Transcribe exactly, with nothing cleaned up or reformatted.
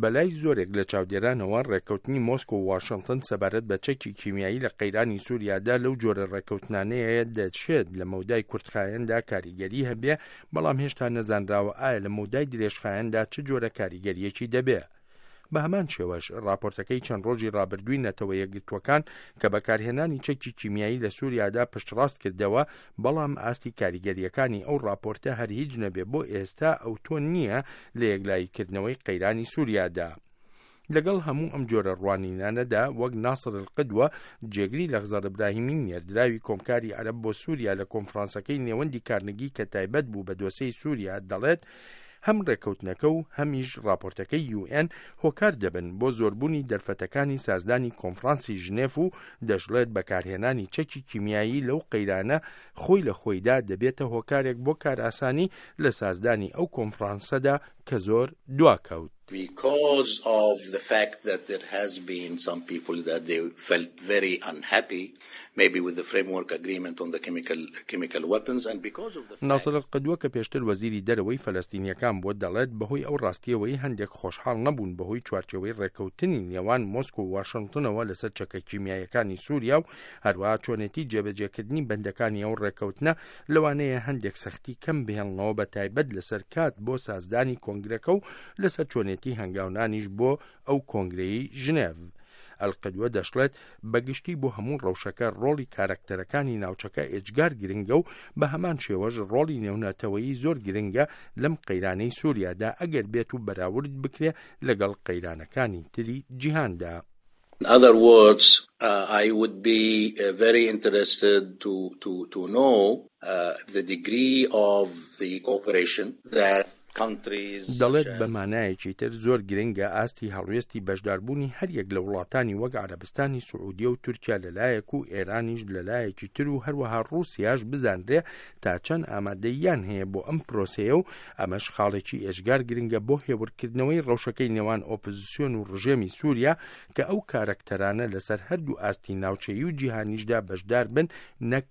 بەلای زۆرێک لە چاودێرانەوە، ڕێککەوتنی مۆسکۆ و واشنتن سەبارەت بە چەکی کیمیایی لە قەیرانی سووریادا لەو جۆرە ڕێککەوتنانەیە دەشێت لە مەودای کورتخایەندا کاریگەری هەبێ، بەڵام هێشتا نەزانراوە ئایا لە مەودای درێژخایەندا چ جۆرە کاریگەریەکی دەبێ. بە هەمان شێوەش راپۆرتەکەی چەند ڕۆژی ڕابردووی نەتەوە یەکگرتووەکان کە بەکارهێنانی چەکی کیمیایی لە سووریادا پشتڕاست کردەوە، بەڵام ئاستی کاریگەریەکانی ئەو راپۆرتە هەر هیچ نەبێ بۆ ئێستا ئەوتۆ نییە لە یەکلاییکردنەوەی قەیرانی سووریادا. لەگەڵ هەموو ئەم جۆرە ڕوانینانەدا، وەک ناسر القدوە، جێگری لەخزەر ئیبراهیمی نێردراوی کۆمکاری عەرەب بۆ سووریا لە کۆنفرانسەکەی نێوەندی کارنگی کە تایبەت بوو بە دۆسێی سووریا دەڵێت، هەم ڕێککەوتنەکە و هەمیش راپۆرتەکەی یو ئێن هۆکار دەبن بۆ زۆربوونی دەرفەتەکانی سازدانی کۆنفرانسی ژنێف و دەشڵێت بەکارهێنانی چەکی کیمیایی لەو قەیرانە خۆی لە خۆیدا دەبێتە هۆکارێک بۆ کارئاسانی لە سازدانی ئەو کۆنفرانسەدا کە زۆر دواکەوت. Because of the fact that there has been some people that they felt very unhappy maybe with the framework agreement on the chemical chemical weapons and because of the ناسر القدوە کە پێشتر وەزیری دەرەوەی فەلەستینیەکان بووە دەڵێت، بەهۆی ئەو ڕاستیەوەی هەندێک خۆشحاڵ نەبوون بەهۆی چوارچێوەی ڕێککەوتنی نێوان مۆسکۆ و واشنگتنەوە لەسەر چەکە کیمیایەکانی سووریا و هەروەها چۆنێتی جێبەجێکردنی بەندەکانی ئەو ڕێککەوتنە، لەوانەیە هەندێک سەختی کەم بهێڵنەوە، بە تایبەت لەسەر کات بۆ سازدانی کۆنگرەکە و لەسەر چۆنێتی هەنگاونانیش بۆ ئەو کۆنگرەی ژنێڤ. ئەلقدوە دەشڵێت، بەگشتی بۆ هەموو ڕەوشەکە ڕۆڵی کارەکتەرەکانی ناوچەکە ئێجگار گرنگە و بە هەمان شێوەش ڕۆڵی نێونەتەوەیی زۆر گرنگە لەم قەیرانەی سووریادا ئەگەر بێت و بەراورد بکرێ لەگەڵ قەیرانەکانی تری جیهاندا. In other words, uh, I would be uh, very interested to, to, to know uh, the degree of the cooperation that دەڵێت، بە مانایەکی تر زۆر گرنگە ئاستی هەڵوێستی بەشداربوونی هەریەک لە وڵاتانی وەک عەرەبستانی سعودیە و تورکیا لەلایەک و ئێرانیش لەلایەکی تر و هەروەها ڕووسیاش بزانرێ تا چەند ئامادەیان هەیە بۆ ئەم پرۆسەیە و ئەمەش خاڵێکی ئێجگار گرنگە بۆ هێورکردنەوەی ڕەوشەکەی نێوان ئۆپۆزیسیۆن و ڕژێمی سووریا کە ئەو کارەکتەرانە لەسەر هەردوو ئاستی ناوچەیی و جیهانیشدا بەشدار بن نەک